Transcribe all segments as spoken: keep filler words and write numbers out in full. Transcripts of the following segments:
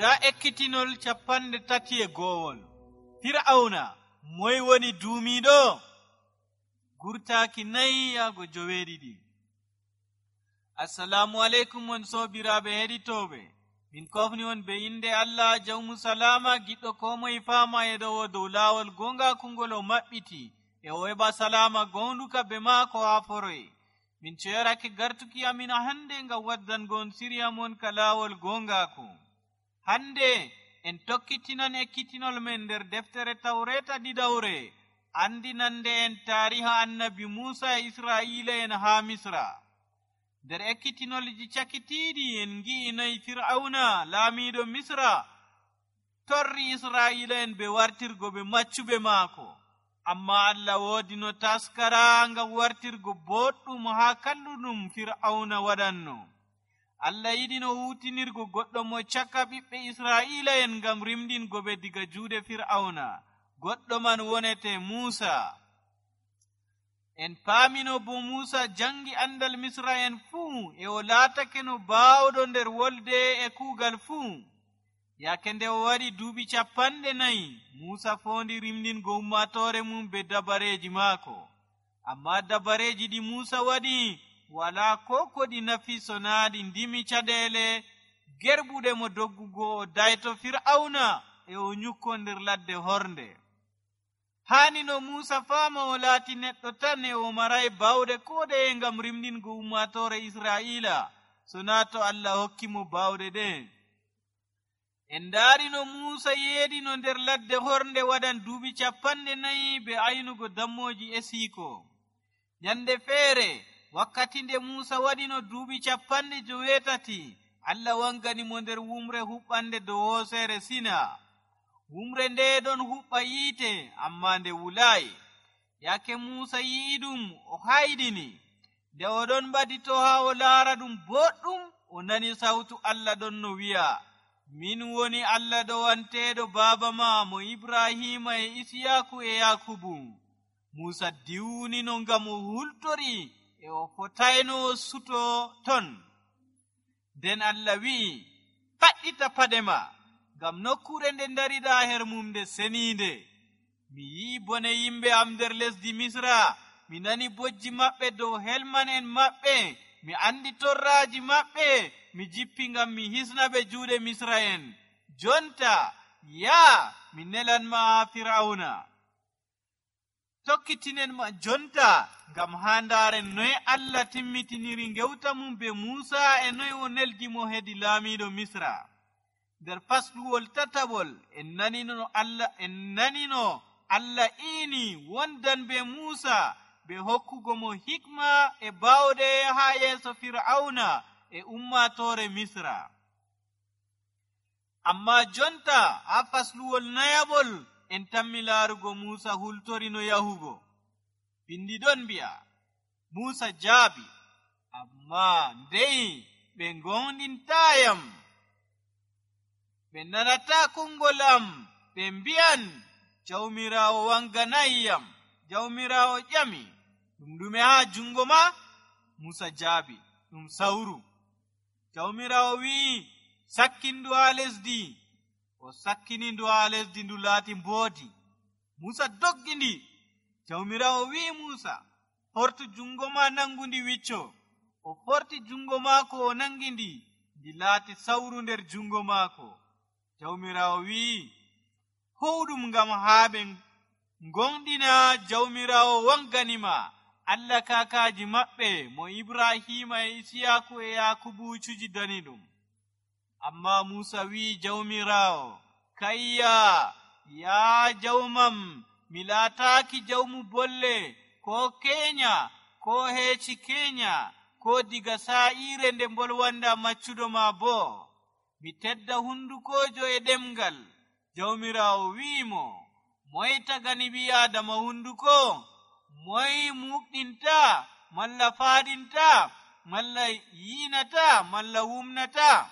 Ga ekkitinol capanɗe tati e go'ol. Fir'auna moy woni duumiiɗo? Gurtaaki nayi yaago joweeɗiɗi. Assalamu alaikum on sobiraaɓe heɗitooɓe. Min kofni on be inde Allah jawmu salama giɗɗo ko moye faama e dow dow laawol gonga kungol o maɓɓiti e o heɓa salama gonduka be maako haa foroye. Min ceerake gartuki amin hande ngam waddangon siriya mon ka laawol gongaako. Hande en tokkitinan ekkitinol men nder deftere tawreta ɗiɗawre andinande en taariha annabi Muusa e Israa'iila en haa Misra. Nder ekkitinolji cakitiiɗi en ngi'i noy Fir'auna laamiiɗo Misra torri Israa'iila en be wartirgo ɓe maccuɓe maako. Amma Allah woodi no taskara ngam wartirgo boɗɗum haa kalluɗum Fir'auna waɗanno. Allah yiɗi no huutinirgo goɗɗo mo caka ɓiɓɓe Israa'iila en ngam rimdingo ɓe diga juuɗe Fir'auna. Goɗɗo man wonete Muusa. En paamino bo Muusa jangi andal Misra en fuu e o laatake no baawɗo nder wolde e kuugal fuu. Yake nde o waɗi duuɓi capanɗe nayi, Muusa foondi rimdingo ummaatoore mum be dabareeji maako. Amma dabareeji ɗi Muusa waɗi walaa ko ko ɗi nafi so naa ɗi ndimi caɗeele gerɓuɗe mo doggugo o dayto Fir'auna e o nyukko nder ladde hornde. Haani no Muusa faama o laati neɗɗo tan e o maray baawɗe ko ɗeye ngam rimdingo ummaatoore Israa'iila so naa to Allah hokki mo baawɗe ɗe. En ndaari no Muusa yeeɗino nder ladde hornde waɗan duuɓi capanɗe nayi be aynugo dammooji esiiko. Nyande feere wakkati nde Muusa waɗino duuɓi capanɗe joweetati, Allah wangani mo nder wumre huɓɓande dow hooseere Sina. Wumre nde ɗon huɓɓa yiite amma nde wulaayi. Yake Muusa yi'i ɗum o hayɗini. Nde o ɗon ɓadito haa o laara ɗum boɗɗum, o nani sawtu Allah ɗon no wi'a, min woni Allah ɗowanteeɗo baaba ma mo Ibrahima e Isiyaku e Yakubu. Muusa diwnino ngam o hultori e o fotayno o suto ton. Nden Allah wi'i, paɗɗita paɗe ma, ngam nokkure nde ndariɗa her mum nde seniinde. Mi yi'i bone yimɓe am nder lesdi Misra, mi nani bojji maɓɓe dow helman en maɓɓe, mi andi torraaji maɓɓe, mi jippi ngam mi hisna ɓe juuɗe Misra en. Jonta, yaa, mi nelan ma haa Fir'auna. Tokkitinen ma jonta ngam haa ndaaren noy Allah timmitiniri ngewta mum be Muusa e noy o neldi mo hedi laamiiɗo Misra. Nder fasluwol tataɓol en nanino Allah en nanino Allah iini wondan be Muusa be hokkugo mo hikma e baawɗe haa yeeso Fir'auna e ummaatoore Misra. Amma jonta haa fasluwol nayaɓol en tammi laarugo Muusa hultorino yahugo. Bindi ɗon mbi'a, Muusa jaabi, amma ndey ɓe gonɗintaayam. Ɓe nanataa kungol am, ɓe mbi'an, Jawmiraawo wanganayiyam. Jawmiraawo ƴami, ɗum ɗume haa jungo ma? Muusa jaabi, ɗum sawru. Jawmiraawo wi'i, sakkin ndu haa lesdi. O sakkini ndu haa lesdi, ndu laati mboodi. Muusa doggi ndi. Jawmiraawo wi'i Muusa, fortu jungo ma nangu ndi wicco. O forti jungo maako o nangi ndi, ndi laati sawru nder jungo maako. Jawmiraawo wi'i, howɗum ngam haa ɓe gonɗina Jawmiraawo wanganima Allah kakaaji maɓɓe mo Ibrahima e Isiyaku e Yakubu cuji dani ɗum. Amma Muusa wi'i Jawmiraawo, kayya, yaa jawmam, mi laataaki jawmu bolle, ko keenya, ko heeci keenya, ko diga saa'iire nde mbolwanda maccuɗo ma boo. Mi tedda hundukojo e ɗemgal. Jawmiraawo wi'imo, moye tagani ɓii Aadama hunduko? Moye muɓɗinta, malla faaɗinta, malla yiinata, malla wumnata?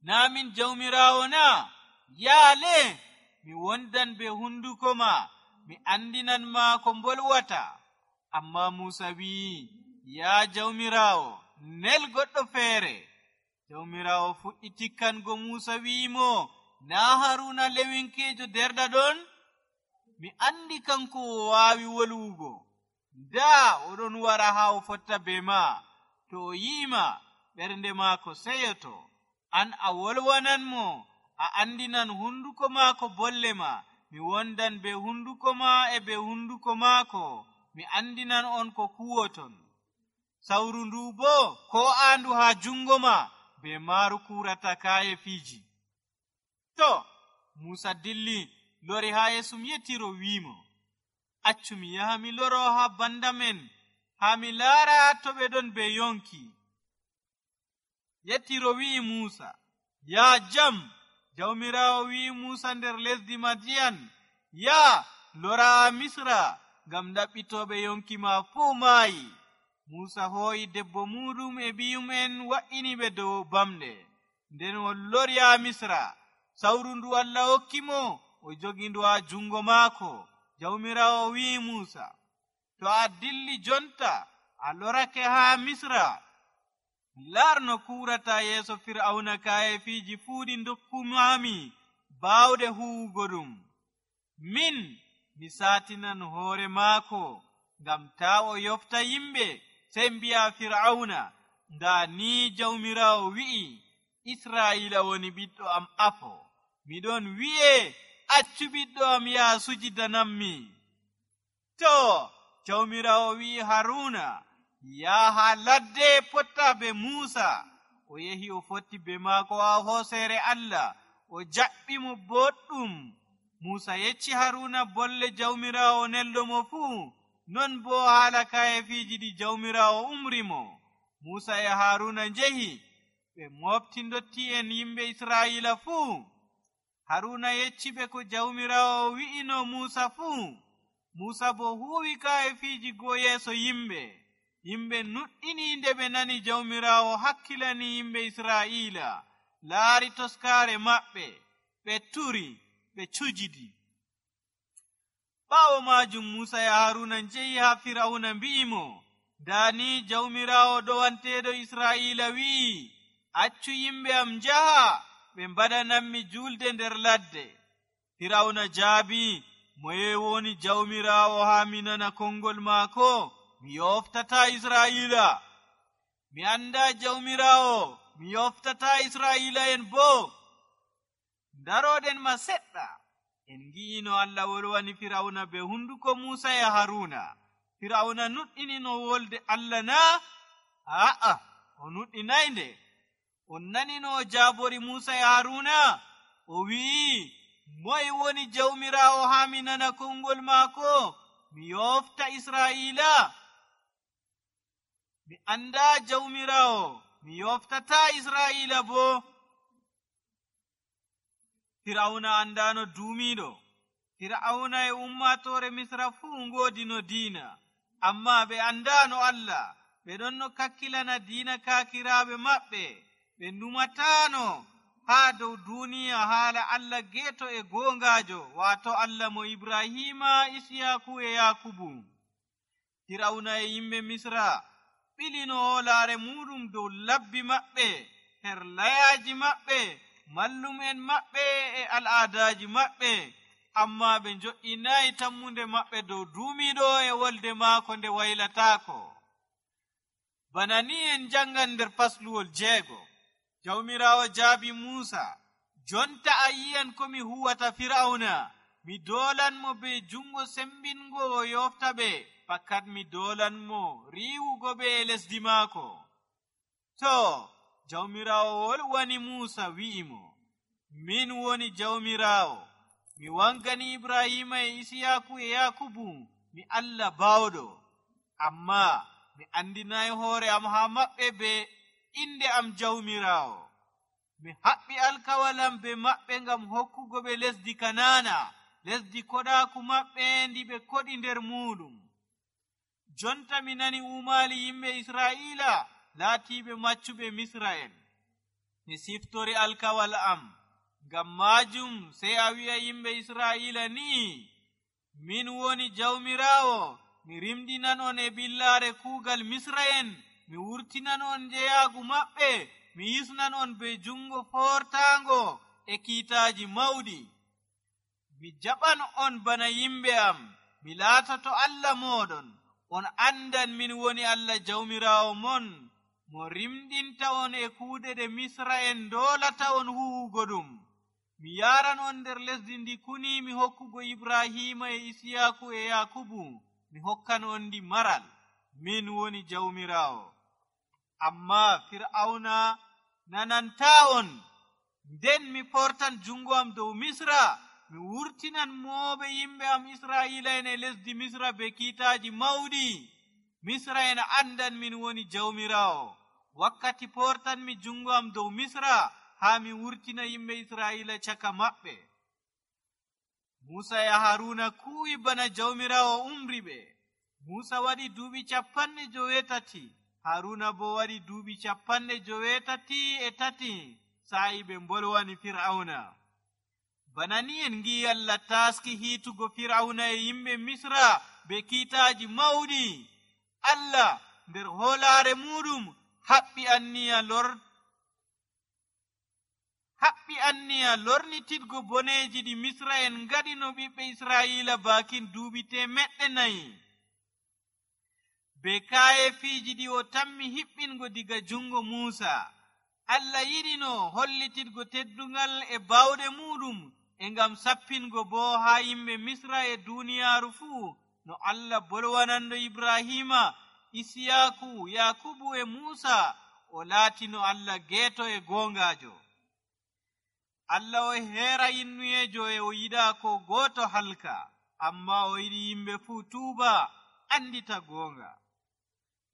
Naa min Jawmiraawo na? Yaale, mi wondan be hunduko ma, mi andinan ma ko mbolwata. Amma Muusa wi'i, yaa Jawmiraawo, nel goɗɗo feere. jawmirawo fuɗɗi tikkango Muusa wi'imo, naa Haruna lewinkeejo derda ɗon? Mi andi kanko o waawi wolwugo. Daa oɗon wara haa o fotta be ma. To o yi'ima, ɓernde maako seyoto. An a wolwananmo, a andinan hunduko maako bolle ma. Mi wondan be hunduko ma e be hunduko maako. Mi andinan on ko kuwoton. Sawru ndu bo ko aandu haa jungo ma, be maaru kurata kaaye fiiji. To, Muusa dilli lori haa Yeesu yettiro wi'imo, accu mi yaha mi loro haa banda men, haa mi laara to ɓe ɗon be yonki. Yettiro wi'i Muusa, yaa jam. Jawmirawo wi'i Muusa nder lesdi Madiyan, yaa lora Misra, ngam ɗaɓɓitoɓe yonki ma fuu maayi. Muusa hooyi debbo muɗum e ɓiyum'en wa'ini ɓe dow bamɗe. Nden o lori haa Misra. Sawru ndu Allah hokkimo, o jogi ndu haa jungo maako. Jawmirawo wi'i Muusa, to a dilli jonta a lorake haa Misra, laar no kurata yeeso Fir'auna kaaye fiiji fuu ɗi dokkumami baawɗe huwugo ɗum. Min mi saatinan hoore maako ngam taa o yofta yimɓe, sey mbi'a Fir'auna, ndaa ni jawmirawo wi'i, Israa'ila woni ɓiɗɗo am afo. Miɗon wi'e, accu ɓiɗɗo am yaa sujidanammi. To, jawmirawo wi'i Haruna, yaha ladde potta be Muusa. O yehi o fotti be maako haa hooseere Allah, o jaɓɓi mo boɗɗum. Muusa yecci Haruna bolle jawmirawo neldo mo fuu, non bo haala kaye fiiji ɗi jawmirawo umri mo. Muusa e Haruna njehi ɓe mofti ndotti'en yimɓe Israa'ila fuu. Haruna yecci ɓe ko jawmirawo wi'ino Muusa fuu. Muusa bo huwi kaye fiiji go yeeso yimɓe. Yimɓe nuɗɗini nde ɓe nani jawmirawo hakkilani yimɓe Israa'ila, laari toskaare maɓɓe, ɓe turi, ɓe cujidi. Ɓaawo maajum Muusa e Haruna njehi haa Fir'auna mbi'imo, daani jawmirawo ɗowanteeɗo Israa'ila wi'i, accu yimɓe am njaha ɓe mbaɗananmi julde nder ladde. Fir'auna jaabi, moye woni jawmirawo haa mi nana kongol maako? Mi yoftata Israa'ila. Mi anda jawmirawo, mi yoftata Israa'ila en bo. Daroɗen ma seɗɗa. En ngi'ino Allah wolwani Fir'auna be hunduko Muusa e Haruna. Fir'auna nuɗɗinino wolde Allah na? A'a, o nuɗɗinaynde. On nanino o jaabori Muusa e Haruna? O wi'i, moye woni jawmirawo haa mi nana kongol maako? Mi yofta Israa'ila. Mi anda jawmirawo, mi yoftata Israa'ila bo. Fir'auna andano duumiɗo. Fir'auna e ummatore Misra fuu ngoodino diina, amma ɓe andano Allah. Ɓe ɗon no kakkilana diina kaakiraaɓe maɓɓe. Ɓe ndumatano haa dow duniya haala Allah geeto e goongaajo, waato Allah mo Ibrahima, Isiyaku e Yakubu. Fir'auna e yimɓe Misra ɓilino hoolaare muɗum dow labbi maɓɓe, her layaaji maɓɓe, mallum'en maɓɓe e al'aadaaji maɓɓe, amma ɓe njo'inayi tammunde maɓɓe dow duumiɗo e wolde maako nde waylataako. Bana ni en jangan nder fasluwol jeego. Jawmirawo jaabi Muusa, jonta a yi'an ko mi huwata Fir'auna. Mi doolanmo be jungo sembingo o yofta ɓe, fakkat mi doolanmo riiwugo ɓe e lesdi maako. To, jawmirawo wolwani Muusa wi'imo, min woni jawmirawo. Mi wangani Ibrahima e Isiyaku e Yakubu, mi Allah baawɗo. Amma mi andinayi hoore am haa maɓɓe be inde am jawmirawo. Mi haɓɓi alkawalam be maɓɓe ngam hokkugo ɓe lesdi Kanaana, lesdi koɗaaku maɓɓe ndi ɓe koɗi nder muɗum. Jonta mi nani umaali yimɓe Israa'ila laatiiɓe maccuɓe Misra'en. Mi siftori alkawal am, ngam maajum sey a wi'a yimɓe Israa'ila ni, min woni jawmirawo, mi rimɗinan on e billaare kuugal Misra'en, mi wurtinan on njeyaagu maɓɓe, mi yisnan on be jungo fortaango e kiitaaji mawɗi. Mi jaɓan on bana yimɓe am, mi laatoto Allah mooɗon. On andan min woni Allah jawmiraawo mon, mo rimɗinta on e kuuɗe ɗe Misra en doolata on huwugo ɗum. Mi yaran on nder lesdi ndi kuniimi hokkugo Ibrahima e Isiyaku e Yakubu. Mi hokkan on ndi maral. Min woni jawmiraawo. Amma Fir'auna nanantaa on. Nden mi fortan jungo am dow Misra. Mi wurtinan mooɓe yimɓe am Israa'ila en e lesdi Misra be kiitaaji mawɗi. Misra en andan min woni jawmiraawo. Wakkati portanmi jungo am dow Misra, haa mi wurtina yimɓe Israa'ila caka maɓɓe. Musa e Haruna kuwi bana jawmiraawo umri ɓe. Musa waɗi duuɓi capanɗe joweetati, Haruna bo waɗi duuɓi capanɗe joweetati e tati, sa'i ɓe mbolwani Fir'auna. Bana ni en ngi'i Allah taski hiitugo Fir'auna e yimɓe Misra be kiitaaji mawɗi. Allah nder hoolaare muɗum haɓɓi anniya lor haɓɓi anniya lornitidgo boneeji ɗi Misra en ngaɗino ɓiɓɓe Israa'ila bakin duuɓi temeɗɗe nayi. Be kaayefiiji ɗi o tammi hiɓɓingo diga jungo Muusa. Allah yiɗino hollitidgo teddungal e bawɗe muɗum e ngam sappingo bo haa yimɓe Misra e duuniyaaru fuu no Allah bolwanando Ibrahima, Isiyaku, Yakubu e Muusa o laatino Allah geeto e goongaajo. Allah o heera innuyeejo e o yiɗaa ko gooto halka, amma o yiɗi yimɓe fuu tuuba andita goonga.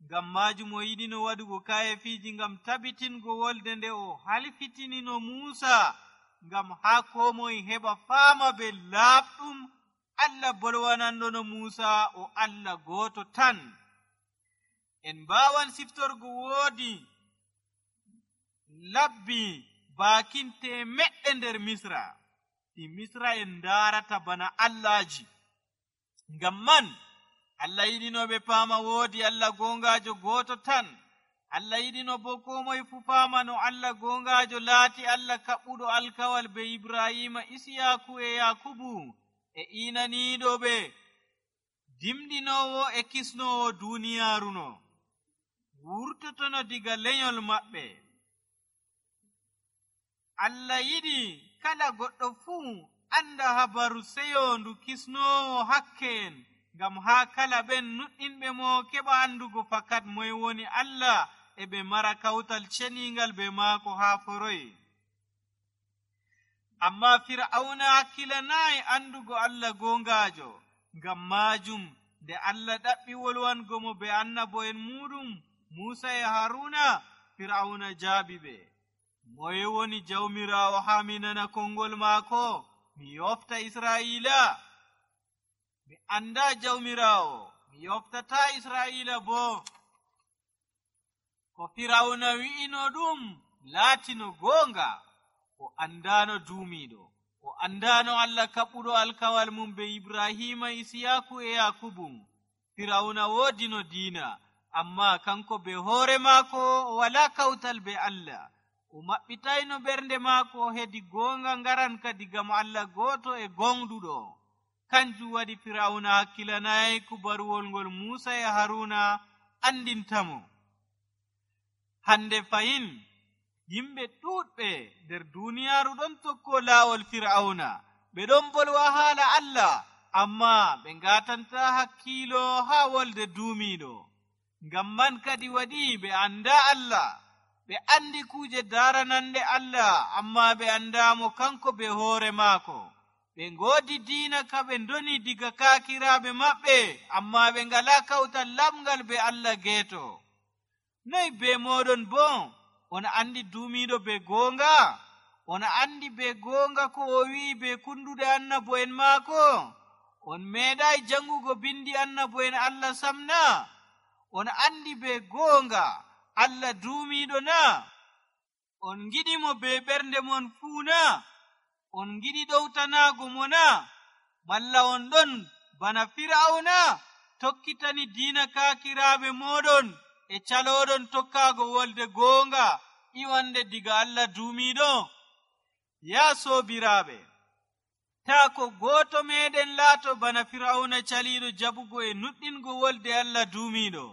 Ngam maajum o yiɗino waɗugo kayefiiji ngam tabitingo wolde nde o halfitinino Muusa, ngam haa koo moye heɓa faama be laaɓɗum Allah bolwanandono Muusa o Allah gooto tan. En mbaawan siftorgo woodi labbi baakin temeɗɗe nder Misra, ɗi Misra en ndaarata bana Allahji. Ngam man Allah yiɗino ɓe paama woodi Allah goongaajo gooto tan. Allah yiɗino bo koo moye fu faama no Allah goongaajo laati Allah kaɓɓuɗo alkawal be Ibrahima, Isiyaku e Yakubu e iinaniiɗo ɓe, dimɗinoowo e kisnoowo duuniyaaru no, wurtotono diga lenyol maɓɓe. Allah yiɗi kala goɗɗo fuu anda habaru seyoondu kisnoowo hakke en, ngam haa kala ɓen nuɗɗinɓe mo keɓa andugo fakat moye woni Allah e ɓe mara kawtal ceniingal be maako haa foroy. Amma Fir'auna hakkilanaayi andugo Allah goongaajo. Ngam maajum nde Allah ɗaɓɓi wolwango mo be annabo'en muɗum Muusa e Haruna, Fir'auna jaabi ɓe, moye woni jawmiraawo haa mi nana konngol maako? Mi yofta Israa'iila. Mi anndaa jawmiraawo, mi yoftataa Israa'iila bo. Ko Fir'auna wi'ino ɗum laatino goonga. O andaano duumiiɗo, o andaano Allah kaɓɓuɗo alkawal mum be Ibrahima, Isiyaku e Yakubu. Fir'auna woodino diina, amma kanko be hoore maako o walaa kawtal be Allah. O maɓɓitayno ɓernde maako hedi goonga ngaranka diga mo Allah gooto e gonɗuɗo. Kanjum waɗi Fir'auna hakkilanaayi kubaruwol ngol Muusa e Haruna andintamo. Hande fayin yimɓe ɗuuɗɓe nder duuniyaaru ɗon tokko laawol Fir'auna. Ɓe ɗon bolwa haala Allah, amma ɓe ngaatanta hakkiilo haa wolde duumiiɗo. Ngam man kadi waɗi ɓe annda Allah. Ɓe andi kuuje daaranande Allah, amma ɓe andaamo kanko be hoore maako. Ɓe ngoodi diina ka ɓe ndoni diga kaakiraaɓe maɓɓe, amma ɓe ngalaa kawtal lamngal be Allah geeto. Noy be moɗon bo? On andi duumiiɗo be goonga? On andi be goonga ko o wi'i be kunduɗe annabo'en maako? On meeɗayi jangugo bindi annabo'en Allah samna? On andi be goonga Allah duumiiɗo na? On ngiɗimo be ɓernde mon fuu na? On ngiɗi ɗowtanaago mo na? Malla on ɗon bana Fir'auna tokkitani diina kaakiraaɓe moɗon e calooɗon tokkaago wolde goonga iwande diga Allah duumiiɗo? Yaa soobiraaɓe, taa ko gooto meeɗen laato bana Firawna caliiɗo jaɓugo e nuɗɗingo wolde Allah duumiiɗo.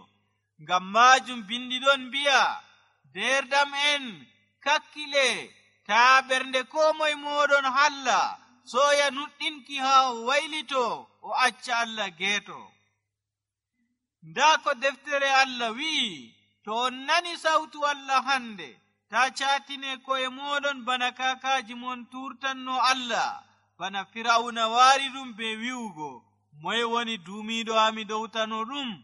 Ngam maajum bindiɗon mbi'a, deerdam en kakkile, taa ɓernde koo moye mooɗon halla, sooya nuɗɗinki haa o waylito o acca Allah geeto. Ndaa ko deftere Allah wi'i, to on nani sawtu Allah hande, taa caatine ko'e mooɗon bana kaakaaji mon turtanno Allah, bana Firawna waari ɗum be wi'ugo, moye woni duumiiɗo ami dowtano ɗum?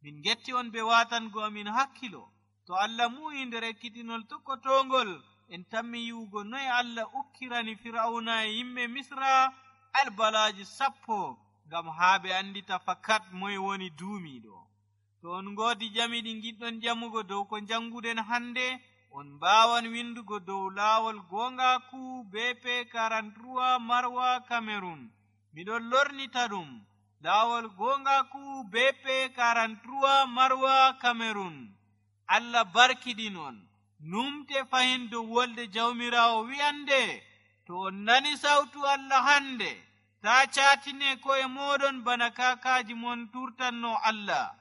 Min getti on be waatango amin hakkilo. To Allah mu'i nder ekkitinol tokkotongol, en tammi yi'ugo noye Allah ukkirani Firawna e yimɓe Misra albalaaji sappo, ngam haa ɓe andita fakat moye woni duumiiɗo. To on ngoodi jami ɗi giɗɗon jamugo dow ko janguɗen hande, on mbaawan windugo dow laawol goongaaku B P quarante-trois Marwa Cameroon. Miɗon lornita ɗum, laawol goongaaku B P quarante-trois Marwa Cameroon. Allah barkiɗinon, numte fahin dow wolde jawmiraawo wi'ande, to on nani sawtu Allah hande, taa caatine ko'e mooɗon bana kaakaaji mon turtanno Allah.